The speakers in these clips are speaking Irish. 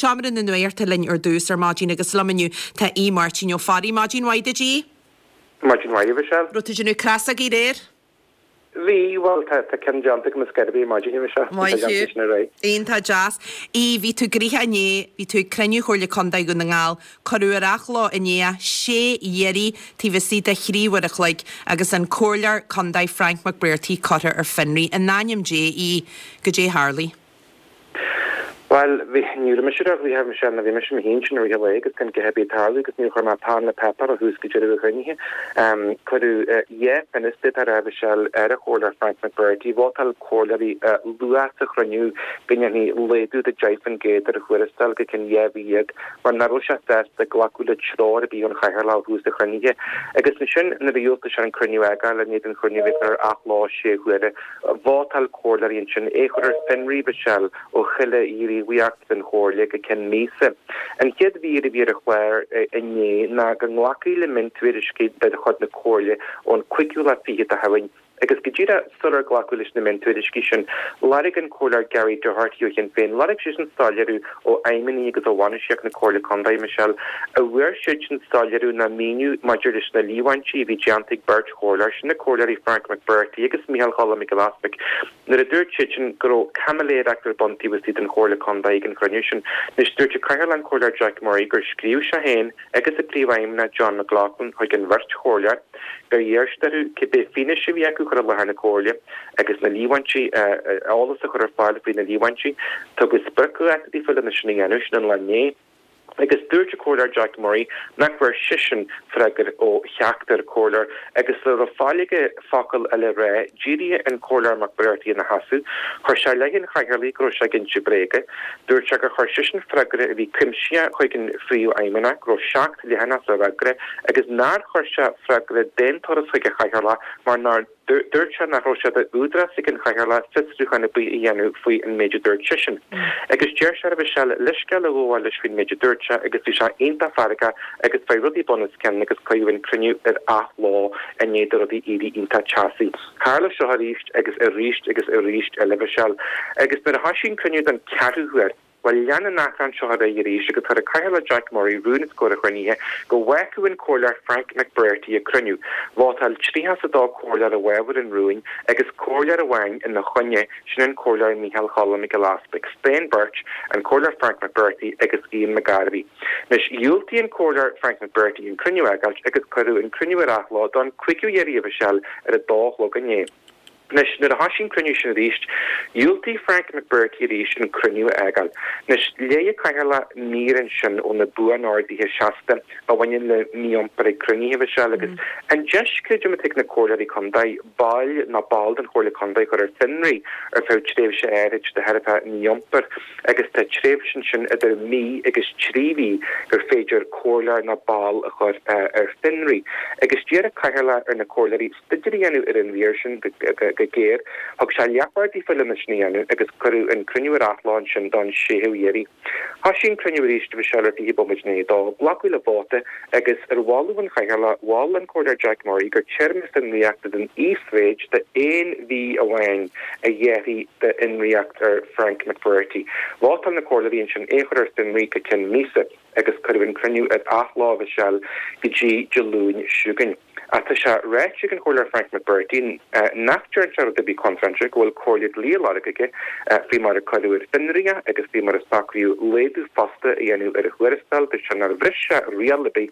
Seomra na Nuachta linn ar dtús ar maidin agus liom inniu tá Aodh Máirtín Ó Fearraigh. Maidin mhaith duit, Aodh. Maidin mhaith, a Mhichelle. Raibh tú ag déanamh crosógaí aréir? Bhí, bhuel, tá ceann déanta agam ar scor ar bith ar maidin, a Mhichelle. Maith thú. Iontach deas. Aodh, bhí tú gnoitheach inné, bhí tú ag cruinniú Chomhairle Contae Dhún na nGall, cuireadh ar athló inné é, sé iarraidh taobh istigh de thrí uair a chloig agus an Comhairleoir Contae Frank McBrearty curtha ar fionraí. In ainm Dé, Aodh, goidé a tharlaigh? Bhuel, bhí, ní raibh mise ró-ghnoitheach, a Mhichelle, nó bhí mise mo shuí ansin i rith an lae agus gan a dhath ar bith ag tarlú agus níor chuir mé peann le páipéar ó thús go deireadh an chruinnithe. Cuireadh dhá phionós, d'fhéadfá a rá, a Mhichelle, ar an Chomhairleoir Frank McBrearty. Vótáil comhairleoirí luath sa chruinniú go ndéanfaí laghdú de 10% ar a thuarastal go ceann 12 mhí mar nach raibh sé sásta glacadh le treoir ar bith ón Chathaoirleach ó thús an chruinnithe. Agus ansin nuair a dhiúltaigh sé an cruinniú a fhágáil i ndiaidh don chruinniú a bheith curtha ar athló sé huaire, Vótáil comhairleoirí ansin é a chur ar fionraí, Mhichelle, ó chuile ghníomhaíocht den Chomhairle go ceann míosa. An chéad mhír a bhí ar an chlár inné ná go nglacfaí le miontuairiscí de chuid na Comhairle ón cúigiú lá fichead de Shamhain agus go díreach sular glacadh leis na miontuairiscí sin, lorg an Comhairleoir Gary Doherty ó Shinn Féin, lorg seisean soiléiriú ó fheidhmeannaigh agus ó bhainistíocht na Comhairle Contae, Michelle, an bhfuair siadsan soiléiriú ná míniú maidir leis na líomhaintí a bhí déanta ag beirt chomhairleoir, sin na Comhairleoirí Frank McBrearty agus Micheál Choilm Mac Giolla Easpaig, nuair a dúirt siadsan go raibh caimiléireacht ar bun taobh istigh den Chomhairle Contae ag an chruinniú sin. Anois, dúirt an Cathaoirleach, an Comhairleoir Jack Murray, gur scríobh sé féin agus an Príomhfheidhmeannach John McLaughlin chuig an bheirt chomhairleoir gur iarr siad orthu cibé fianaise a bhí acu a chur i láthair na Comhairle agus na líomhaintí, eolas a chur ar fáil faoi na líomhaintí. Tugadh spriocdháta daofa lena sin a dhéanamh, sin an lá inné. Agus dúirt an Comhairleoir Jack Murray nach bhfuair seisean freagra ó cheachtar comhairleoir agus sula raibh faill aige focal eile a rá, d'éirigh an Comhairleoir McBrearty ina sheasamh. Chuir sé i leith an chathaoirligh go raibh sé ag inse bréaga. Dúirt sé gur chuir seisean freagra a bhí cuimsitheach chuig an phríomhfheidhmeannach, go raibh 7 leathanach sa fhreagra agus nár chuir sé freagra d'aon turas chuig an chathaoirleach mar nár Dúirt sé nach raibh sé d'údarás ag an Chathaoirleach fiosrúchán ar bith a dhéanamh faoi an méid a dúirt seisean. Agus deir sé a Mhichelle leithscéal a ghabháil leis faoin méid a dúirt sé agus bhí sé iontach feargach agus faoi rudaí bun os cionn agus cuireadh an cruinniú ar athló i ndiaidh do rudaí éirí iontach teasaí. Tharla seo arís agus arís agus arís eile a Mhichelle. Agus nuair a thoisigh an cruinniú don ceathrú huair, Bhuel, lean an achrann seo ar aghaidh arís agus chuir an Cathaoirleach Jack Murray rún os comhair an chruinnithe go bhfágfadh an Comhairleoir Frank McBrearty an cruinniú. Vótáil 32 comhairleoir i bhfabhar an rúin agus comhairleoir amháin ina choinne, sin an Comhairleoir Micheál Choilm Mac Giolla Easpaig. Staon beirt, an Comhairleoir Frank McBrearty agus Ian McGarvey. Anois, dhiúltaigh an Comhairleoir Frank McBrearty an cruinniú a fhágáilt agus cuireadh an cruinniú ar athló don cúigiú iarraidh a Mhichelle ar a dó a chlog inné. Anois, nuair a thoisigh an cruinniú sin arís, dhiúltaigh Frank McBrearty arís an cruinniú a fhágáil. Anois, léigh an Cathaoirleach mír ansin ó na Buan-Orduithe Seasta a bhaineann le mí-iompar ag cruinnithe, a Mhichelle, agus an deis, creidim, atá ag na Comhairleoirí Contae baill nó ball den Chomhairle Contae a chur ar fionraí ar feadh tréimhse áirid de thairbhe mí-iompair, agus tá tréimhse ansin idir mí agus 3 mhí gur féidir comhairleoir nó ball a chur ar fionraí. Agus d'iarr an Cathaoirleach ar na Comhairleoirí staidéar a dhéanamh ar an mhír sin go géar. Thug sé leathuair daofa lena sin a dhéanamh agus cuireadh an cruinniú ar athló ansin don séú iarraidh. Thoisigh an cruinniú arís a Mhichelle ar 20 bomaite i ndiaidh a dó. Glacadh le vóta agus ar mholadh an Chathaoirligh, mhol an Comhairleoir Jack Murray gur téarma fionraíochta den íosmhéid d'aon mhí amháin a ghearrfaí d'fhionraíocht ar Frank McBrearty. Vótáil na Comhairleoirí ansin é a chur ar fionraí go ceann míosa agus cuireadh an cruinniú ar athló a Mhichelle go dtí Dé Luain seo chugainn. Ach tá sé ráite ag an Chomhairleoir Frank McBrearty nach dtearn sé rud ar bith contráilte, go bhfuil comhairle dlí á lorg aige faoi mar a cuireadh ar fionraí é agus faoi mar a socraíodh laghdú fosta a dhéanamh ar a thuarastal. Dúirt sé nár bhris sé riail ar bith.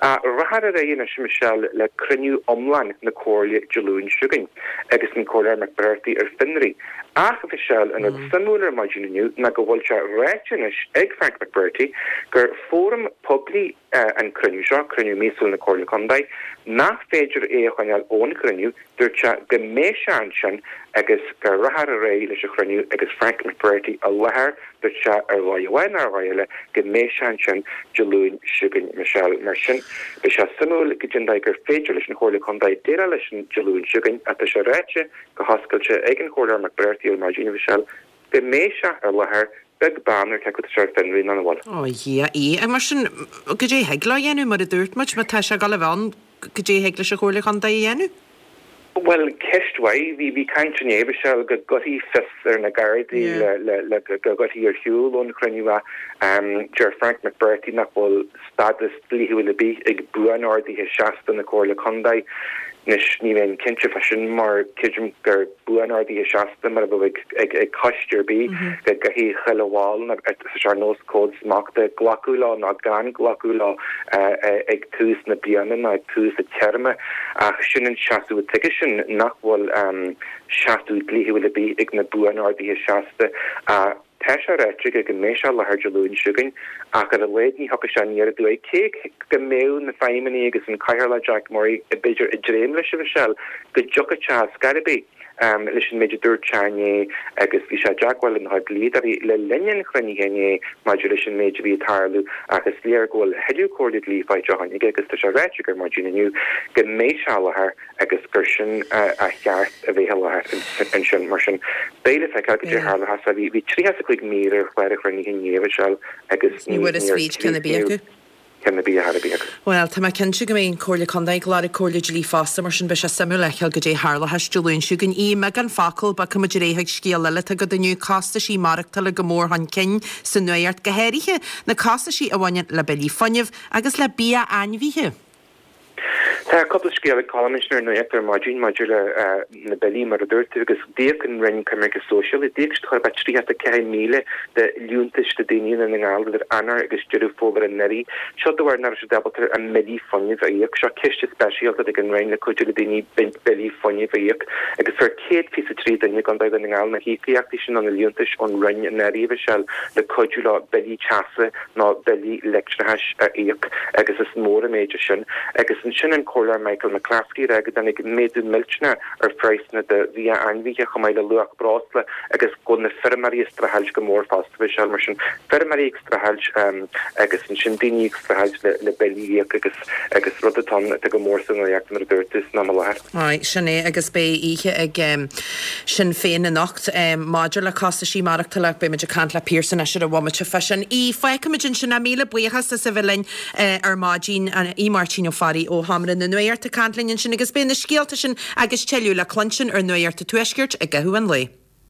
Ach rachfar ar aghaidh anois, a Michelle, le cruinniú iomlán na Comhairle Dé Luain seo chugainn agus an Comhairleoir McBrearty ar fionraí. Ach, a Mhichelle, an rud suimiúil ar maidin inniu ná go bhfuil sé ráite anois ag Frank McBrearty gur fóram poiblí an cruinniú seo, cruinniú míosúil na Comhairle Contae, nach féidir é a choinneáil ón chruinniú, dúirt sé go mbeidh sé ansin agus go rachfar ar aghaidh leis an chruinniú agus Frank McBrearty i láthair, dúirt sé ar dhóigh amháin nó ar dhóigh eile go mbeidh sé ansin Dé Luain seo chugainn, Michelle. Mar sin, beidh sé suimiúil goidé an dóigh gur féidir leis an Chomhairle Contae déileáil leis sin Dé Luain seo chugainn ach tá sé ráite go hoscailte ag an Chomhairleoir McBrearty ar maidin, Michelle, go mbeidh sé i láthair beag beann ar cé acu tá sé ar fionraí nó nach bhfuil. Ó a Dhia, í. Mar sin, goidé a thig leo a dhéanamh, mar a dúirt muid, má tá sé ag dul a bheith ann, goidé a thig leis an Chomhairle Chontae a dhéanamh? Bhuel, ceist mhaith. Bhí, bhí caint inné, Michelle, go gcuirfí fios ar na Gardaí le, le, le go gcuirfí ar shiúl ón chruinniú é. Deir Frank McBrearty nach bhfuil stádas dlíthiúil ar bith ag buan-orduithe seasta na Comhairle Contae. Anois, ní bheinn cinnte fá sin mar creidim gur buan-orduithe seasta mar a bheadh ag, ag coiste ar bith go gcaithfidh chuile bhall nó tá sé ar nós cód smachta glacadh leo nó gan glacadh leo ag tús na bliana nó ag tús an téarma. Ach sin an seasamh atá aigesean, nach bhfuil seasamh dlíthiúil ar bith ag na buan-orduithe seasta. Tá sé ráite aige go mbeidh sé i láthair Dé Luain seo chugainn, ach ar a laghad ní thiocfaidh sé aniar aduaidh. Cé go mbeadh na feidhmeannaigh agus an Cathaoirleach Jack Murray b'fhéidir ag dréim leis, a Mhichelle, go dtiocfadh sé ar scor ar bith leis an méid a dúirt sé inné agus bhí sé i dteagmháil lena chuid dlíodóirí le linn an chruinnithe inné maidir leis an méid a bhí ag tarlú ach is léir go bhfuil thuilleadh comhairle dlí faighte ó shin aige agus tá sé ráite aige ar maidin inniu go mbeidh sé i láthair agus gur sin a cheart a bheith i láthair ansin. Mar sin, beidh le feiceáil cad é a tharlóchas. Bhí 35 mír ar chlár an chruinnithe inné, a Mhichelle, agus ní bhfuarthas fríd ceann ar bith acu. Ceann ar bith ar bith acu. Bhuel, tá mé cinnte go mbeidh an Comhairle Contae ag lorg comhairle dlí fosta, mar sin beidh sé suimiúil a fheiceáil goidé a tharlóchas Dé Luain seo chugainn. I mbeagán focal, bogfaidh muid ar aghaidh chuig scéal eile atá agat inniu, costaisí maireachtála go mór chun cinn sa nuacht, go háirithe na costaisí a bhaineann le billí fuinnimh agus le bia ainmhithe. Tá cúpla scéal ag Colm ansin ar Nuacht ar maidin maidir le na billí, mar a dúirt tú, agus d'íoc an Roinn Coimirce Sóisialaí, d'íoc siad chóir a bheith 34,000 de liúntais do daoine i nDún na nGall idir Eanáir agus Deireadh Fómhair anuraidh. Seo de bharr nach raibh siad ábalta a mbillí fuinnimh a íoc. Seo ciste speisialta ag an Roinn le cuidiú le daoine billí fuinnimh a íoc agus fuair 123 duine i gContae Dhún na nGall na híocaíochtaí sin nó na liúntais ón Roinn anuraidh, a Mhichelle, le cuidiú leo billí teasa nó billí leictreachais a íoc agus is mór an méid é sin. Agus ansin an Comhairleoir Michael McClaskey ag rá go dtáinig méadú millteanach ar phraghsanna de bhia ainmhithe chomh maith le luach breosla agus go bhfuil na feirmeoirí ag streachailt go mór fosta Michelle. Mar sin, feirmeoirí ag streachailt agus ansin daoine ag streachailt le billí a íoc agus agus rud atá ann atá go mór sa nuacht mar a dúirt tú san am i láthair. Aye, sin é agus beidh oíche ag Sinn Féin anocht maidir le costaisí maireachtála. Beidh muid ag caint le Pearse anois ar an bhomaite fá sin. Aodh, fágfaimid ansin é. Míle buíochas as a bheith linn ar maidin. Aodh Máirtín Ó Fearraigh ó Sheomra na Nuachta ag caint linn ansin agus beidh na scéalta sin agus tuilleadh le cluinstin ar Nuacht an Tuaiscirt i gcaitheamh an lae.